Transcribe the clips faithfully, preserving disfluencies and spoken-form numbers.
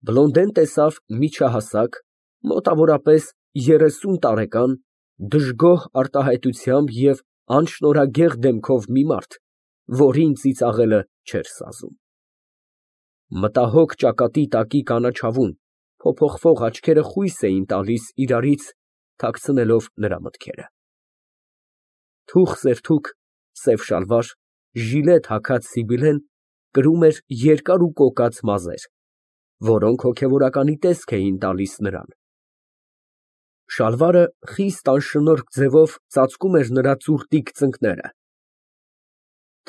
Բլոնդեն տեսավ միջահասակ, մոտավորապես երեսուն տարեկան, դժգոհ արտահայտությամբ և անշնորհագեղ դեմքով մի մարդ, որին ծիծաղելը չէր սազում։ Մտահոգ ճակատի տակի կանաչավուն, փոփոխվող աչքերը խույս էին տալիս իրարից, թաքցնելով նրա մտքերը։ Թուխ սերթուք սև շալվար, ժիլետ հագած Սիբիլեն կրում էր երկար ու կոկած մազեր, որոնք հոգևորականի տեսք էին տալիս նրան։ Շալվարը խիստ անշնորհք ձևով ծածկում էր նրա ծուռտիկ ծնկները։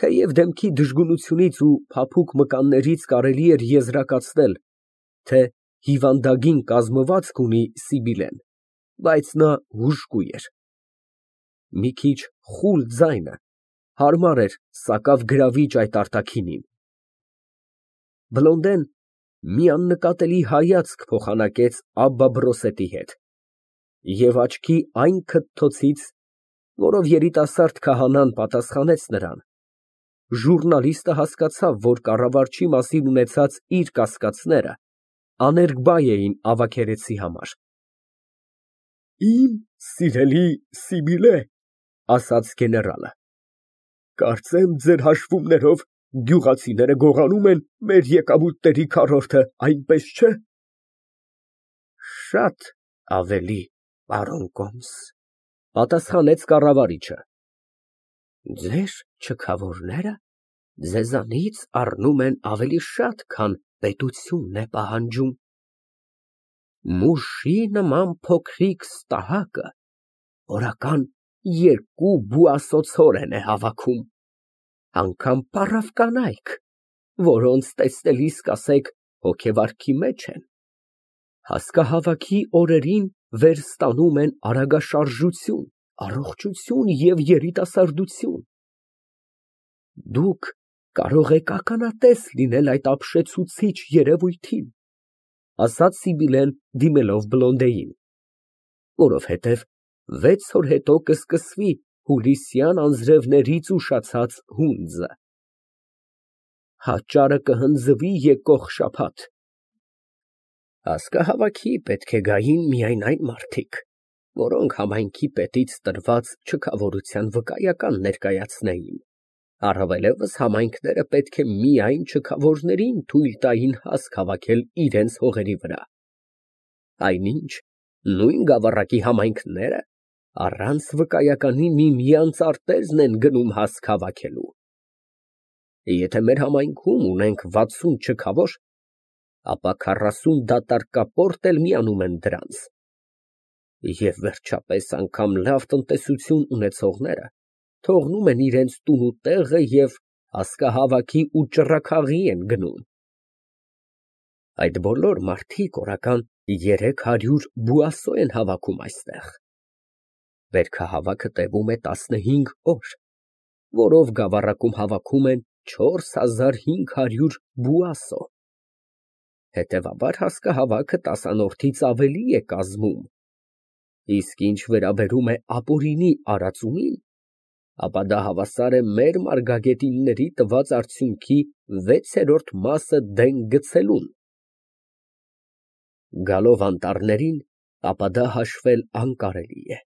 Թեև դեմքի դժգունությունից ու փափուկ մկաններից կարելի էր եզրակացնել, թե հիվանդագին կազմվածք ունի Սիբիլեն, բայց նա հուժկու էր։ Մի քիչ խուլ ձայնը հարմար էր սակավ֊գրավիչ այդ արտաքինին։ Բլոնդեն մի աննկատելի հայացք փոխանակեց Աբբա Բրոսետի հետ և աչքի այն քթթոցից, որով երիտասարդ քահանան պատասխանեց նրան, ժուռնալիստը հասկացավ, որ կառավարչի մասին ունեցած իր կասկածները աներկբա էին Ավագերեցի համար։ Իմ սիրելի Սիբիլե, ասաց գեներալը, կարծեմ ձեր հաշվումներով գյուղացիները գողանում են մեր եկամուտների քառորդը, այնպես չէ։ Շատ ավելի, պարոն կոմս, պատասխանեց կառավարիչը։ Ձեր չքավորները ձեզանից առնում են ավելի շատ, քան պետությունն է պահանջում։ Մուշի նման փոքրիկ ստահակը օրական երկու բուասոցորեն է հավաքում, անգամ պառավ կանայք, որոնց տեսնելիս կասեք հոգեվարքի մեջ են, հասկահավաքի օրերին վեր ստանում են արագաշարժություն, առողջություն և երիտասարդություն։ Դուք կարող եք ականատես լինել այդ ապշեցուցիչ երևույթին, ասաց Սիբիլեն դիմելով Բլոնդեին, որովհետև վեց օր հետո կսկսվի հուլիսյան անձրևներից ուշացած հունձը։ Հանճարը կհնձվի եկող շաբաթ։ Հասկահավաքի պետք է գային միայն այն մարդիկ, որոնք համայնքի պետից տրված չքավորության վկայական ներկայացնեին, առավելևս համայնքները պետք է միայն չքավորներին թույլ տային հասկ հավաքել իրենց հողերի վրա, այնինչ նույն գավառակի համայնքները առանց վկայականի միմյանց արտեզն են գնում հասկ հավաքելու։ Եթե մեր համայնքում ունենք վաթսուն չքավոր, ապա քառասուն դատարկապորտ էլ միանում են դրանց, և վերջապես անգամ լավ տնտեսություն ունեցողները թողնում են իրենց տուն ու տեղը և հասկահավաքի ու ճռռաքաղի են գնում։ Այդ բոլոր մարդիկ օրական երեք հարյուր բուասո են հավաքում այստեղ։ Բերքահավաքը տևում է տասնհինգ օր, որով գավառակում հավաքում են չորս հազար հինգ հարյուր բուասո, հետևաբար հասկահավաքը տասանորդից ավելի է կազմում, իսկ ինչ վերաբերում է ապօրինի արածումին, ապա դա հավասար է մեր մարգագետինների տված արդյունքի վեցերորդ մասը դեն գցելուն։ Գալով անտառներին, ապա դա հաշվել անկարելի է։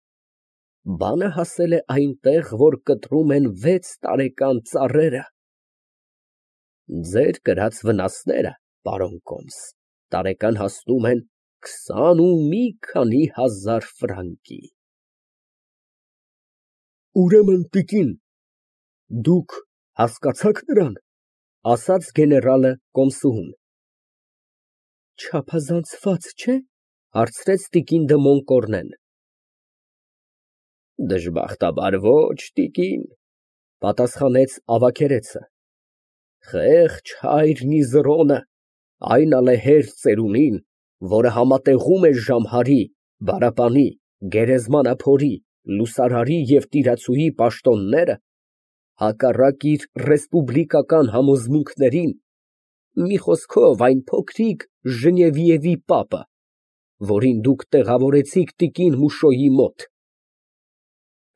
Բանը հասել է այնտեղ, որ կտրում են վեց տարեկան ծառերը։ Ձեր կրած վնասները, պարոն կոմս, տարեկան հասնում են քսան ու մի քանի հազար ֆրանկի։ Ուրեմն, տիկին, դուք հասկացա՞ք նրան, ասաց գեներալը կոմսուհուն։ Չափազանցված չէ՞, հարցրեց տիկին դը Մոնկորնեն։ Դժբախտաբար ոչ, տիկին, պատասխանեց ավագերեցը, խեղճ հայր Միզրոնը, այն ալեհեր ծերունին, որը համատեղում է Ժամհարի, Բարապանի, Գերեզմանափորի, Լուսարարի և տիրացուհի պաշտոնները, հակառակ իր ռեսպուբլիկական համոզմունքներին, մի խոսքով այն փոքրիկ Ժնևիևի պապը, որին դուք տեղավորեցիք տիկին Մուշոյի մոտ։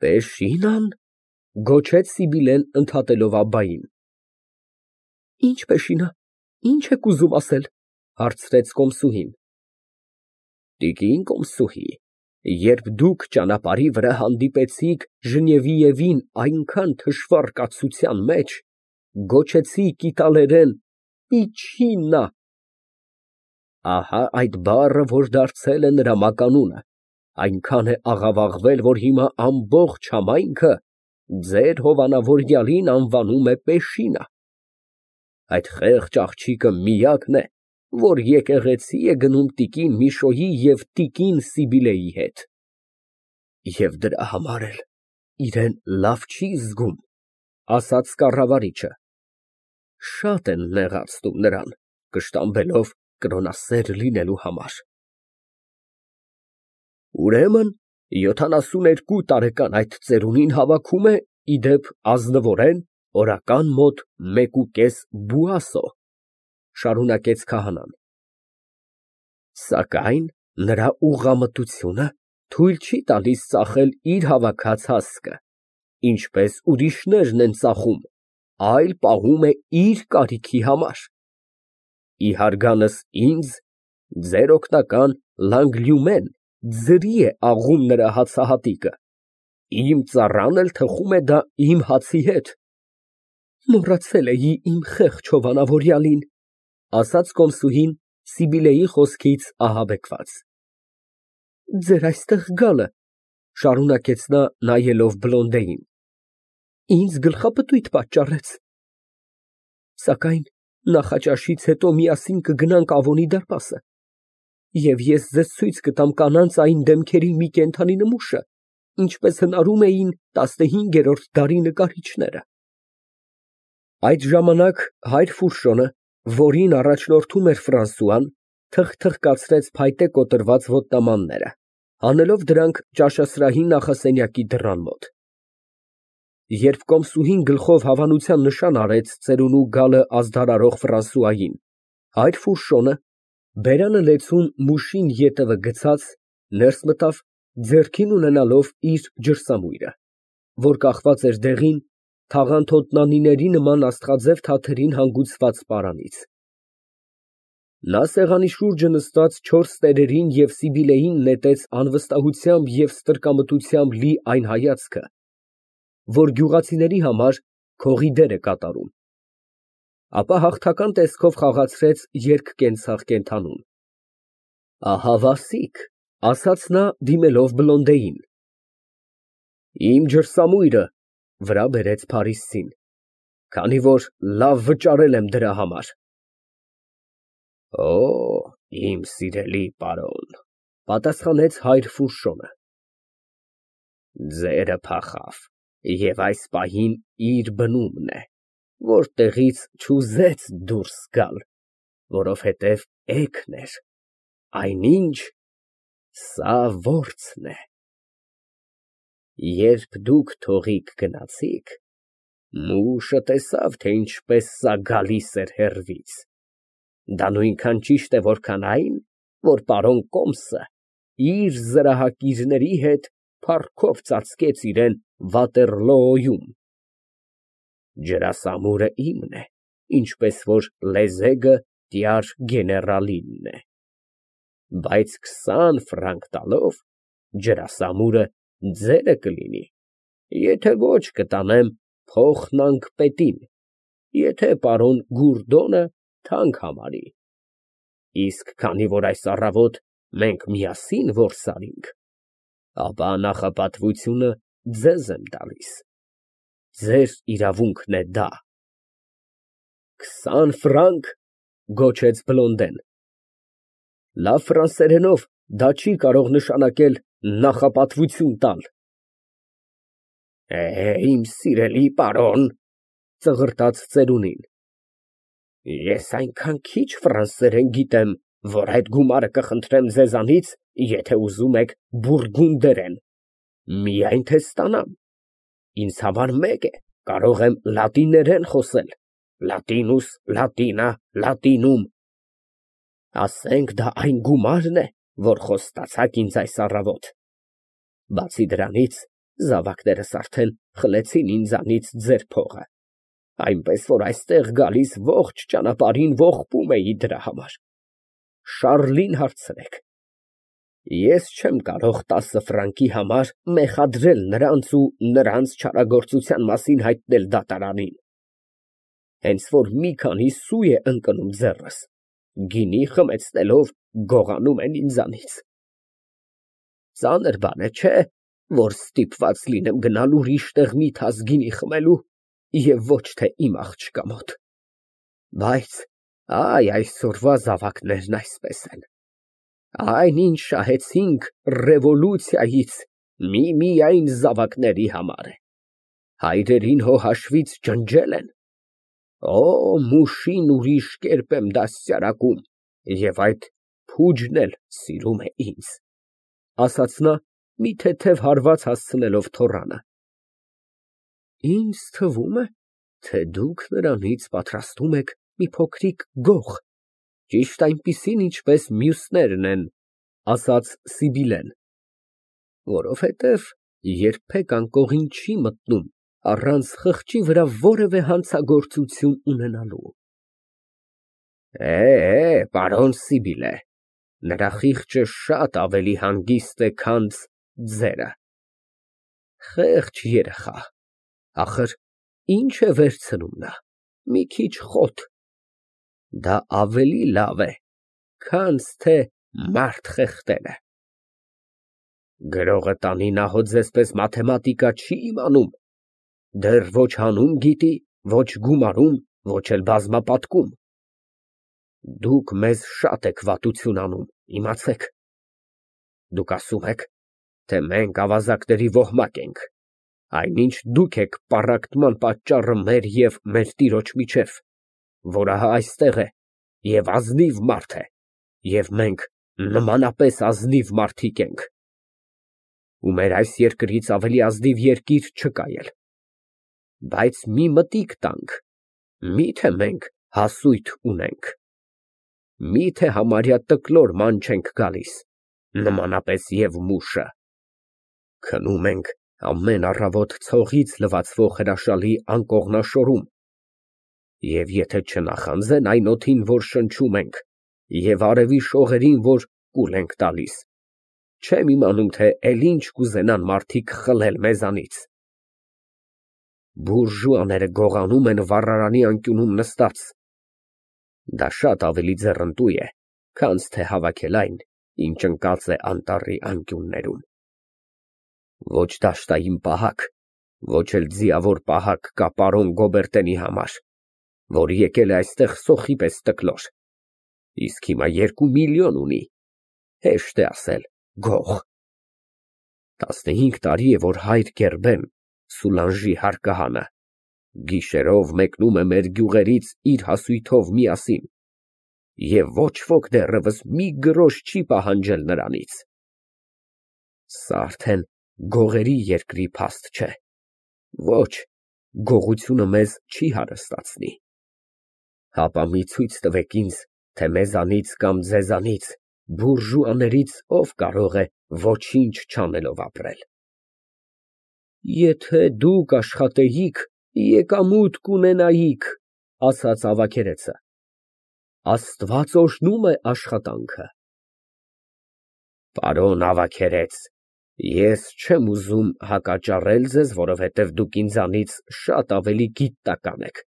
Պեշինա՞ն, գոչեց Սիբիլեն ընդհատելով Աբբային։ Ինչ պեշինա, ինչ եք ուզում ասել։ Հարցրեց կոմսուհին։ Տիկին կոմսուհի, երբ դուք ճանապարհի վրա հանդիպեցիք Ժնևիևին այնքան թշվառ կացության մեջ, գոչեցիք իտալերեն պիչինա։ Ահա այդ բառը, որ դարձել է նրա մականունը, այնքան է աղավաղվել, որ հիմա ամբողջ համայնքը ձեր հովանավորյալին անվանում է Պեշինա։ Այդ խեղճ աղջիկը միակն է, որ եկեղեցի է գնում տիկին Միշոյի և տիկին Սիբիլեի հետ, և դրա համար էլ իրան լավ չի զգում, ասաց կառավարիչը։ Շատ են նեղացնում նրան, կշտամբելով կրոնասեր լինելու համար։ Ուրեմն յոթանասունութ երկու տարեկան այդ ծերունին հավաքում է, ի դեպ, ազնվորեն օրական մոտ մեկուկես բուասո, շարունակեց քահանան։ Սակայն նրա ուղղամտությունը թույլ չի տալիս ծախել իր հավաքած հասկը, ինչպես ուրիշներն են ծախում, այլ պահում է իր կարիքի համար։ Ի հարգանս ինձ, ձեր օգնական Լանգլյումեն ձրի է աղում նրա հացահատիկը, իմ ծառան էլ թխում է դա իմ հացի հետ։ Մոռացել էի իմ խեղճ հովանավորյալին, ասաց կոմսուհին Սիբիլեի խոսքից ահաբեկված։ Ձեր այստեղ գալը, շարունակեց նա, նայելով Բլոնդեին, ինձ գլխապտույտ պատճառեց։ Սակայն նախաճաշից հետո միասին կգնանք Ավոնի դարպասը, և ես ձեզ ցույց կտամ կանանց այն դեմքերի մի կենդանի նմուշը, ինչպես հնարում էին տասնհինգերորդ դարի նկարիչները։ Այդ ժամանակ հայր Ֆուրշոնը, որին առաջնորդում էր Ֆրանսուան, թխթխկացրեց փայտե կոտրված ոտնամանները, հանելով դրանք ճաշասրահի նախասենյակի դռան մոտ։ Երբ կոմսուհին գլխով հավանության նշան արեց ծերունու գալը ազդարարող Ֆրանսուային, հայր Ֆուրշոնը, բերանը լեցուն մուշին ետևը գցած, ներս մտավ, ձեռքին ունենալով իր ջրսամույրը, որ կախված էր դեղին, թաղանթոտնանիների նման աստղաձև թաթերին հանգուցված պարանից։ Նա սեղանի շուրջը նստած չորս տերերին և Սիբիլեին նետեց անվստահությամբ և ստրկամտությամբ լի այն հայացքը, որ գյուղացիների համար քողի դեր է կատարում, ապա հաղթական տեսքով խաղացրեց երկկենցաղ կենդանուն։ Ահա Վասիկ, ասաց նա, դիմելով Բլոնդեին, իմ ջրսամույրը վրա բերեց Փարիսցին, քանի որ լավ վճարել եմ դրա համար։ Օ, իմ սիրելի պարոն, պատասխանեց հայր Ֆուրշոնը, ձերը փախավ և այս պահին իր բնումն է, որտեղից չուզեց դուրս գալ, որովհետև էգն էր, այնինչ սա որցն է։ Երբ դուք թողիկ գնացիք, մուշը տեսավ, թե ինչպես սա գալիս էր հեռվից, դա նույնքան ճիշտ է, որքան այն, որ պարոն Կոմսը իր զրահակիրների հետ փառքով ծածկեց իրան Վատերլոոյում։ Ջրասամուրը իմն է, ինչպես որ լեզեգը տյար գեներալինն է, բայց քսան ֆրանկ տալով ջրասամուրը ձերը կլինի, եթե ոչ կտանեմ փոխնանկ պետին, եթե պարոն Գուրդոնը թանկ համարի, իսկ քանի որ այս առավոտ մենք միասին որս արինք, ապա նախապատվությունը ձեզ եմ տալիս, ձեր իրավունքն է դա։ Քսան ֆրանկ, գոչեց Բլոնդեն, լավ ֆրանսերենով դա չի կարող նշանակել նախապատվություն տալ։ Է, իմ սիրելի պարոն, ծղրտաց ծերունին, ես այնքան քիչ ֆրանսերեն գիտեմ, որ այդ գումարը կխնդրեմ ձեզանից, եթե ուզում եք բուրգունդերեն, միայն թե ստանամ, ինձ համար մեկ է, կարող եմ լատիներեն խոսել, լատինուս, լատինա, լատինում, ասենք դա այն գումարն է, որ խոստացաք ինձ այս առավոտ, բացի դրանից, զավակներս արդեն խլեցին ինձանից ձեր փողը, այնպես որ այստեղ գալիս ողջ ճանապարհին ողբում էի դրա համար։ Շառլին հարցրեք։ Ես չեմ կարող տասը ֆրանկի համար մեղադրել նրանց ու նրանց չարագործության մասին հայտնել դատարանին, հենց որ մի քանի սու է ընկնում ձեռս, գինի խմեցնելով գողանում են ինձանից։ Ծանր բան է, չէ՞, որ ստիպված լինեմ գնալ ուրիշ տեղ մի թաս գինի խմելու և ոչ թե իմ աղջկա մոտ։ Բայց այ այսօրվա զավակներն այսպես են, այն ինչ շահեցինք ռևոլյուցիայից միմիայն զավակների համար է, հայրերին հո հաշվից ջնջել են, օ, մուշին ուրիշ կերպ եմ դաստիարակում և այդ փուջն էլ սիրում է ինձ, ասաց նա, մի թեթև հարված հասցնելով թոռանը։ Ինձ թվում է, թե դուք նրանից պատրաստում եք մի փոքրիկ գող, ճիշտ այնպիսին, ինչպես մյուսներն են, ասաց Սիբիլեն, որովհետև երբեք անկողին չի մտնում առանց խղճի վրա որևէ հանցագործություն ունենալու։ Է, պարոն Սիբիլե, նրա խիղճը շատ ավելի հանգիստ է, քան ձերը։ Խեղճ երեխա, ախր ինչ է վերցնում նա, մի քիչ խոտ, դա ավելի լավ է, քան թե մարդ խեղդելը։ Գրողը տանի, նա հո ձեզպես մաթեմատիկա չի իմանում, դեռ ոչ հանում գիտի, ոչ գումարում, ոչ էլ բազմապատկում։ Դուք մեզ շատ եք վատություն անում, իմացեք։ Դուք ասում եք, թե մենք ավազակների ոհմակ ենք, այնինչ դուք եք պառակտման պատճառը մեր և մեր տիրոջ միջև, որը հա այստեղ է և ազնիվ մարդ է, և մենք նմանապես ազնիվ մարդիկ ենք, ու մեր այս երկրից ավելի ազնիվ երկիր չկա էլ, բայց մի մտիկ տանք, մի՞թե մենք հասույթ ունենք, մի՞թե համարյա տկլոր ման չենք գալիս, նմանապես և մուշը, քնում ենք ամեն առավոտ ցողից լվացվող հրաշալի անկողնաշորում, և եթե չնախանձեն այն օդին, որ շնչում ենք, և արևի շողերին, որ կուլ ենք տալիս, չեմ իմանում, թե էլ ինչ կուզենան մարդիկ խլել մեզանից։ Բուրժուաները գողանում են վառարանի անկյունում նստած, դա շատ ավելի ձեռնտու է, քան թե հավաքել այն, ինչ ընկած է անտառի անկյուններում։ Ոչ դաշտային պահակ, ոչ էլ ձիավոր պահակ կա պարոն Գոբերտենի համար, որ եկել է այստեղ սոխի պես տկլոր, իսկ հիմա երկու միլիոն ունի, հեշտ է ասել գող։ Տասնհինգ տարի է, որ հայր Գերբեն, Սուլանժի հարկահանը, գիշերով մեկնում է մեր գյուղերից իր հասույթով միասին, և ոչ ոք դեռևս մի գրոշ չի պահանջել նրանից։ Սա արդեն գողերի երկրի փաստ չէ, ոչ, գողությունը մեզ չի հարստացնի։ Հապա մի ցույց տվեք ինձ, թե մեզանից կամ ձեզանից, բուրժուաներից ով կարող է ոչինչ չանելով ապրել։ Եթե դուք աշխատեիք, եկամուտ կունենայիք, ասաց ավագերեցը, Աստված օրհնում է աշխատանքը։ Պարոն ավագերեց, ես չեմ ուզում հակաճառել ձեզ, որովհետև դուք ինձանից շատ ավելի գիտական եք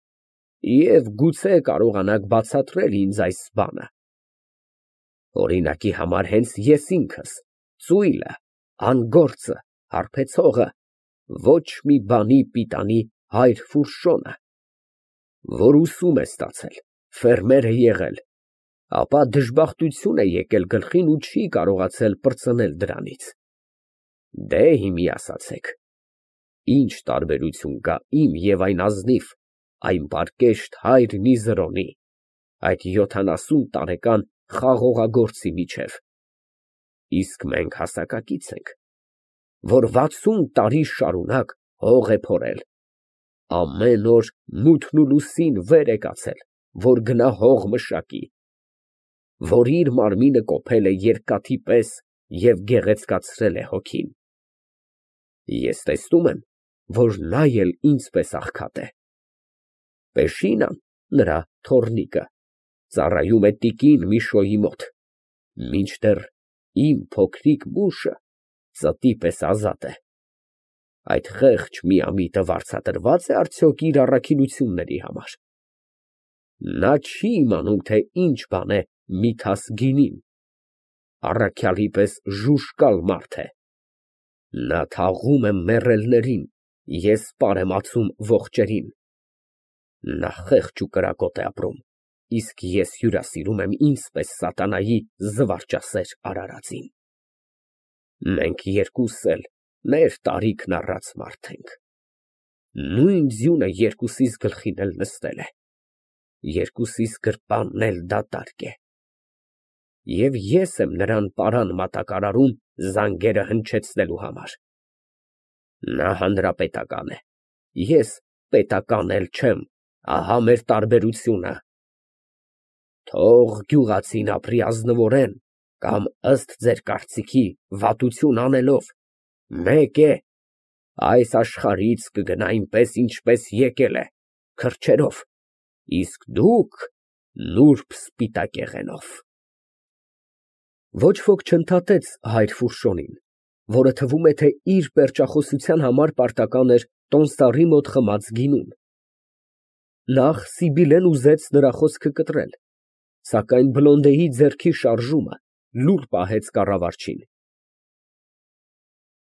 և գուցե կարողանաք բացատրել ինձ այս բանը։ Օրինակի համար հենց ես ինքս, ծույլը, անգործը, հարբեցողը, ոչ մի բանի պիտանի հայր Ֆուրշոնը, որ ուսում է ստացել, ֆերմեր է եղել, ապա դժբախտություն է եկել գլխին ու չի կարողացել պրծնել դրանից։ Դե հիմի ասացեք, ինչ տարբերություն կա իմ և այն ազնիվ, այն պարկեշտ հայր Միզրոնի, այդ յոթանասուն տարեկան խաղողագործի միջև, իսկ մենք հասակակից ենք, որ վաթսուն տարի շարունակ հող է փորել, ամեն օր մութն ու լուսին վեր է կացել, որ գնա հող մշակի, որ իր մարմինը կոփել է երկաթի պես և գեղեցկացրել է հոգին։ Ես տեսնում եմ, որ նա էլ ինձպես աղքատ է։ Պեշինան, նրա թոռնիկը, ծառայում է տիկին Միշոյի մոտ, Մինչդեռ իմ փոքրիկ մուշը ծտի պես ազատ է։ Այդ խեղճ միամիտը վարձատրվա՞ծ է արդյոք իր առաքինությունների համար։ Նա չի իմանում, թե ինչ բան է Միթաս գինին, առաքյալի պես ժուժկալ մարդ է։ Նա թաղում է մեռելներին, ես պար եմ ածում ողջերին։ Նա խեղճ ու կրակոտ է ապրում, իսկ ես հյուրասիրում եմ ինձ պես սատանայի զվարճասեր արարածին։ Մենք երկուսս էլ մեր տարիքն առած մարդ ենք, նույն ձյունը երկուսիս գլխին էլ նստել է, երկուսիս գրպանն էլ դատարկ է, և ես եմ նրան պարան մատակարարում զանգերը հնչեցնելու համար։ Նա հանրապետական է, ես պետական էլ չեմ, ահա մեր տարբերությունը։ Թող գյուղացին ապրի ազնվորեն կամ ըստ ձեր կարծիքի վատություն անելով, մեկ է, այս աշխարհից կգնա այնպես, ինչպես եկել է, քրջերով, իսկ դուք նուրբ սպիտակեղենով։ Ոչ ոք չընդհատեց հայր Ֆուրշոնին, որը թվում է, թե իր պերճախոսության համար պարտական էր տոմսառի մոտ խմած գինուն։ Նախ Սիբիլեն ուզեց նրա խոսքը կտրել, սակայն Բլոնդեի ձեռքի շարժումը լուռ պահեց կառավարչին։